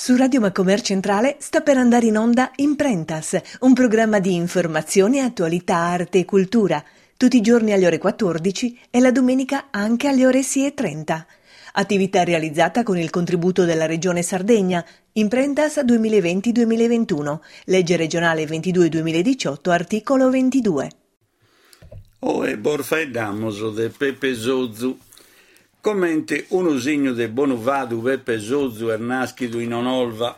Su Radio Macomer Centrale sta per andare in onda Imprentas, un programma di informazione, attualità, arte e cultura, tutti i giorni alle ore 14 e la domenica anche alle ore 6.30. Attività realizzata con il contributo della Regione Sardegna, Imprentas 2020-2021, legge regionale 22-2018, articolo 22. Oe bos faeddamus de Pepe Sozu. Comente unu signu de bonu fadu Pepe Sozu est nàschidu in Onolva.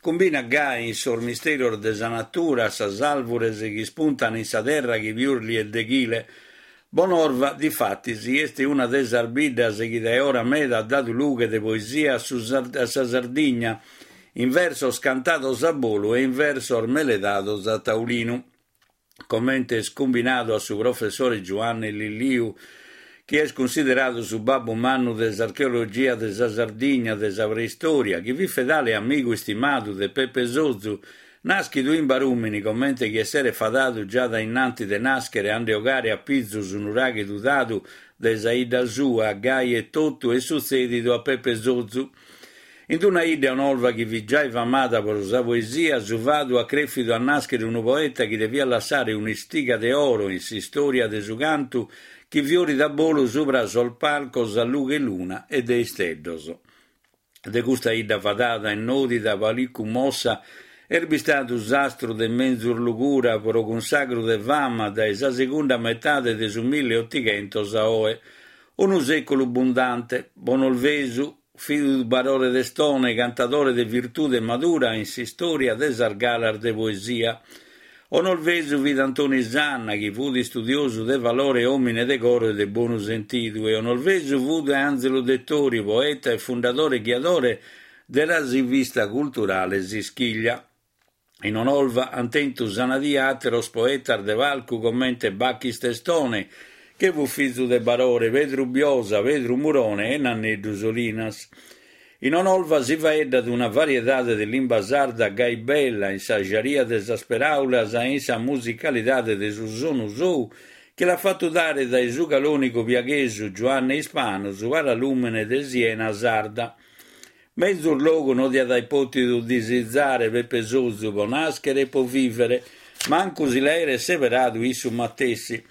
Cumbinat gai in sos misterios de sa natura sas àlvures chi ispuntan in sa terra chi pius li est deghile. Bonorva, difatis, est una de sas biddas chi dae ora meda at dadu lughe de poesia a sa Sardigna, in versos cantados a bolu e in versos meledados a taulinu. comente est cumbinadu a su professore Giuanne Lilliu, chi est cunsideradu su babbu mannu de s'archeologia de sa Sardigna de sa preistòria, chi fit fedale e amigu istimadu de Pepe Sozu, nàschidu in Barùmini comente chi esseret fadadu già dae innanti de nàschere a nde 'ogare a pizu su nuraghe tudadu de sa 'idda sua, gai etotu est sutzèdidu a Pepe Sozu. In una 'idda Onolva chi fit giai famada pro sa poesia, su fadu at crèfidu a nàschere unu poeta chi deviat lassare un'istiga de oro in s'istòria de su cantu chi fiorit a bolu subra sos palcos a lughe 'e luna e de isteddos. De custa 'idda fadada e nòdida Palicu Mossa est bistadu s'astru de menzus lugura pro cunsagru de fama dae sa segunda metade de su milliottighentos a oe. Unu sèculu bundante, bonolvesu, Fit Barore Testone, cantadore de virtude madura in s'istòria de sas galas de poesia. Onolvesu fit Antoni Sanna, chi fut istudiosu de valore e òmine de coro e de bonu sentidu, e onolvesu fut Ànzelu Dettori, poeta e fundadore e ghiadore de sa rivista culturale S'Ischiglia. In Onolva ant tentu sa nadia àteros poetas de palcu comente Bachis Testone, che fut fizu de Barore, Pedru Biosa, Pedru Murone e Nanneddu Solinas. In Onolva si faeddat una variedade de limba sarda gai bella in sa jaria de sas peràulas e in sa musicalidade de su sonu sou chi l'at fatu dare dae su calònigu piaghesu Giuanne Ispanu su paralùmene de Siena sarda. Menzus logu no diat aer pòtidu disizare Pepe Sozu pro nàschere e pro vìvere, mancu si l'aeret seberadu issu matessi.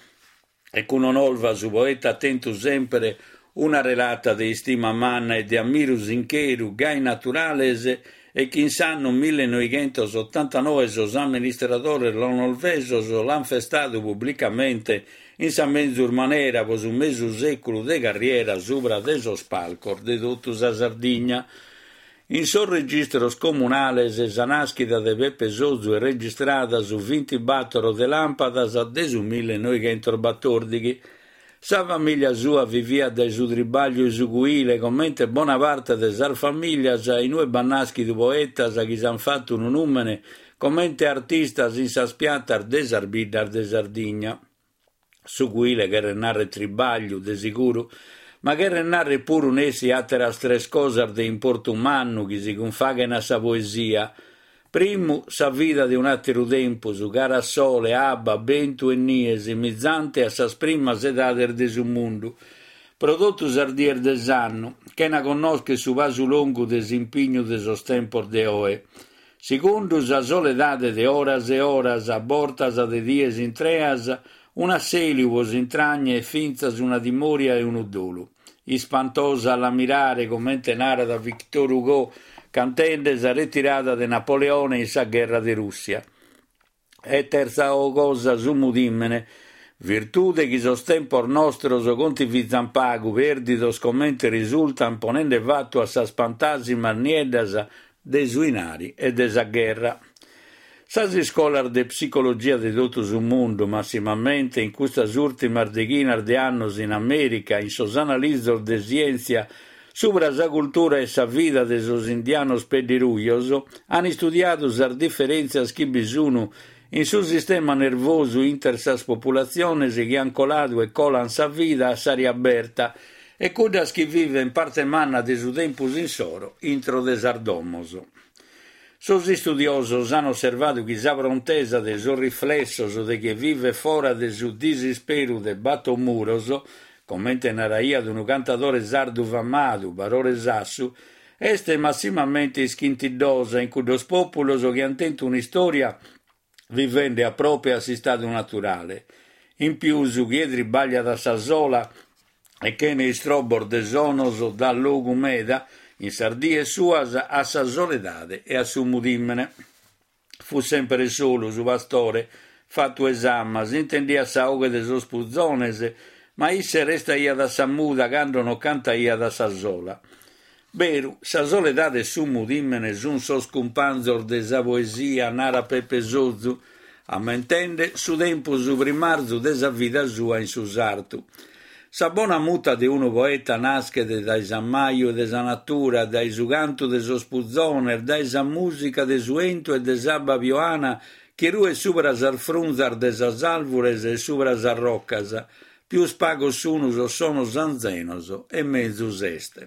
E cun Onolva su poeta at tentu semper una relata de istima manna e de ammiru sincheru, gai naturales e chi in s'annu millenoighentosottantanoe sos amministradores onolvesos l'ant festadu publicamente in sa menzus manera pro su mesu sèculu de carriera subra de sos palcos de totu sa Sardigna. In sos registros comunales sa nàschida de Pepe Sozu est registrada su vintibàtoro de làmpadas de su millenoighentosbatòrdighi. Sa famìllia sua viviat dae su tribàgliu 'e su cuile, comente bona parte de sas famìllias in ue b'at nàschidu poetas chi s'ant fatu unu nùmene comente artistas in sas piatas de sas biddas de Sardigna. Su cuile cheret narrer tribàgliu, de siguru, ma cheret narrer puru nessi àteras tres cosas de importu mannu chi si cunfaghen a sa poesia. Primu, sa vida de un'àteru tempus, cara a sole, abba, bentu e nie, simizante a sas primas edades de su mundu, pro totu sas dies de s'annu, chena connoscher su pasu longu de s'impignu de sos tempos de oe. Segundu sa soledade de oras e oras, a bortas de dies intreas, un'assèliu pro s'intragna e fintzas una timòria e unu dolu. Ispantosa a la mirare, comente narat Victor Hugo cantende sa retirada de Napoleone in sa gherra de Rùssia. E tertza cosa su mudìmene, virtude chi sos tempos nostros contivizan pagu, pèrdidos comente risultan ponende fatu a sas pantàsimas nieddas de su 'inari e de sa gherra. Sas iscolas de psicologia de totu su mundu, massimamente in custas ùrtimas deghinas de annos in Amèrica, in sos analizos de sièntzia Subra sa cultura e sa vida de sos indianos peddirujos an istudiadu sas diferèntzias chi bi sun in su sistema nervosu inter sas populatziones chi an coladu e colan sa vida a s'ària aberta e cuddas chi viven parte manna de su tempus insoro intro de sas domos. Sos istudiosos an osservadu chi sa prontesa de sos riflessos de chie vivet fora de su disisperu de bator muros comente naraiat unu cantadore sardu famadu, Barore Sassu, Est massimamente ischintiddosa in cuddos pòpulos chi ant tentu un'istòria vivende a prope a s'istadu naturale. In pius, chie tribagliat a sa sola e chene istrobbos de sonos dat logu meda, in sas dies suas, a sa soledade e a su mudìmene. Fut sempere solu, su pastore, fatu 'e s'ama, s'intendiat sa 'oghe de sos puzones, ma isse restaiat a sa muda cando non cantaiat a sa sola. Beru, sa soledade e su mudìmene sun sos cumpanzos de sa poesia, narat Peppe Sozu, ammentende su tempus primarzu de sa vida sua in su sartu. Sa bona muta de unu poeta naschet dae s'ammaju de sa natura, dae su cantu de sos puzones, dae sa mùsica de su 'entu e de s'abba pioana chi ruet subra sas frunzas de sas àlvures e subra sas rocas. Pius pagos sunu sos sonos anzenos e mezus est.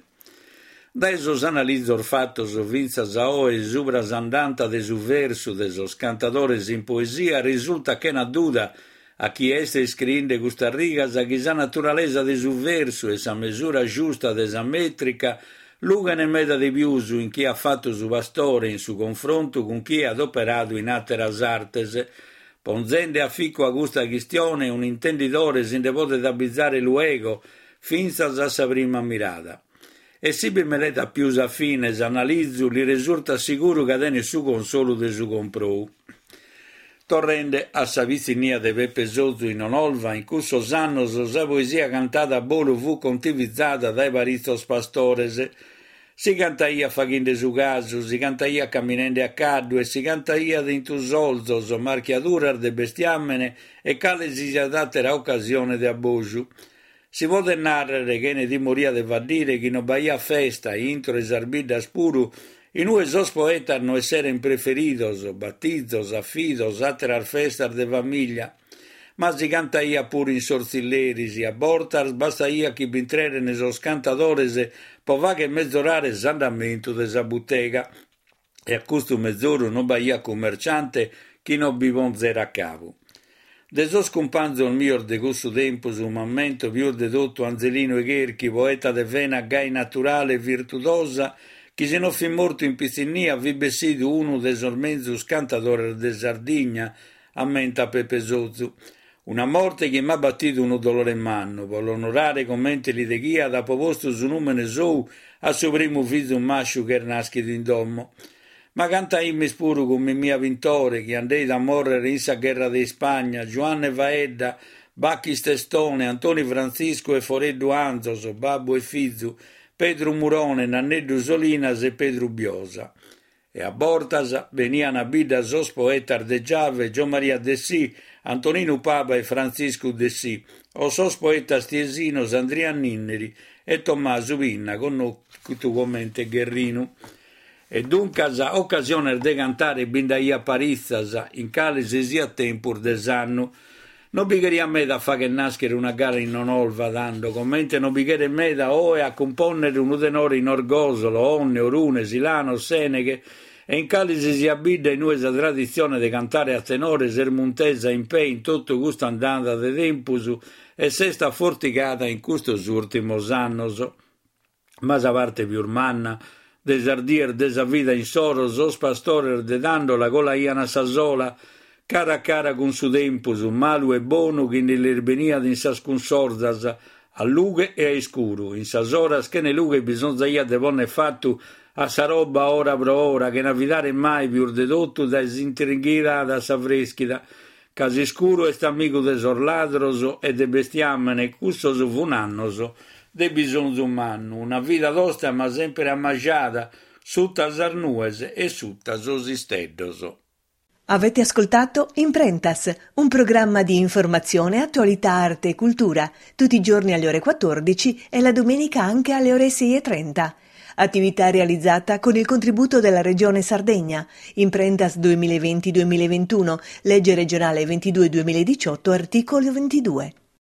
Dae sos analizos fatos fintzas a oe subra s'andanta de su versu de sos cantadores in poesia risultat chena duda a chie est iscriende custas rigas chi sa naturalesa de su versu e sa mesura giusta de sa mètrica lughen meda de pius in chie at fatu su pastore in su confrontu cun chie at operadu in àteras artes. Ponzende aficu a custa chistione un'intendidore si nde podet abizare luego fintzas a sa prima mirada. E si bi meletat pius a fine s'analizu li resurtat siguru ca tenet su consolu de su comprou. Torrende a sa pitzinnia de Peppe Sozu in Onolva, in cussos annos sa poesia cantada a bolu fut contivizada dae paritzos pastores. Si cantaiat faghende su casu, si cantaiat caminende a caddu e si cantaiat in tusolzos, marchiaduras de bestiàmene e cale si siat àtera ocasione de abboju. Si podet nàrrere, chene timoria de faddire, chi no b'aiat festa, intro 'e sas biddas puru, in ue sos poetas no esseren preferidos, batizos, afidos, àteras festas de famìllia. Ma si cantaiat puru in sos tzilleris, a bortas bastaiat chi b'intreren sos cantadores pro fagher mezorare s'andamentu de sa butega. E a custu mezoru non b'aiat cummerciante chi non bi ponzerat cabu. De sos cumpanzos mios de cussu tempus m'ammento pius de totu Anzelinu 'e Cherchi, poeta de vena gai naturale e virtudosa chi si non fit mortu in pitzinnia fit bessidu unu de sos menzus cantadores de Sardigna, ammentat Peppe Sozu. Una morte chi m'at batidu unu dolore mannu, pro l'onorare comente li deghiat apo postu su nùmene sou a su primu fizu màsciu ch'est nàschidu in domo. Ma cantaimis puru cun Mimmia Pintore, chi andeit a mòrrere in sa gherra de Ispagna, Giuanne Faedda, Bachis Testone, Antoni Frantziscu e Foreddu Anzos, babbu e fizu, Pedru Murone, Nanneddu Solinas e Pedru Biosa. E a bortas benian a bidda sos poetas de Giave, Giommaria Dessì, Antoninu Paba e Frantziscu Dessì, o sos poetas tiesinos Andria Ninneri e Tommasu Pinna, connotu comente Gherrinu. E duncas ocasiones de cantare bi nd'aiat paritzas, in cale si siat tempus de s'annu. No bi cheriat meda a fagher nàschere una gara in Onolva, tando, comente no bi cheret meda oe a cumpònnere unu tenore in Orgòsolo, Onne, Orune, Silanos, Sèneghe e in cale si siat bidda in ue sa traditzione de cantare a tenore s'est muntesa in pê in totu custa andada de tempus e s'est afortigada in custos ùrtimos annos. Ma sa parte pius manna de sas dies de sa vida insoro sos pastores de tando la colaian a sa sola, cara a cara cun su tempus, malu e bonu chi nde lis beniat in sas cunsorzas, a lughe e a iscuru. In sas oras chene lughe bisonzaiat de ponner fatu a sa roba ora pro ora, chena fidare mai pius de totu dae s'intringhidada a s'avreschida, ca s'iscuru est amigu de sos ladros e de bestiàmene, cussos fun annos de bisonzu mannu, una vida tosta ma semper ammajada, suta sas nues e suta sos isteddos. Avete ascoltato Imprentas, un programma di informazione, attualità, arte e cultura, tutti i giorni alle ore 14 e la domenica anche alle ore 6.30. Attività realizzata con il contributo della Regione Sardegna. Imprentas 2020-2021, legge regionale 22-2018, articolo 22.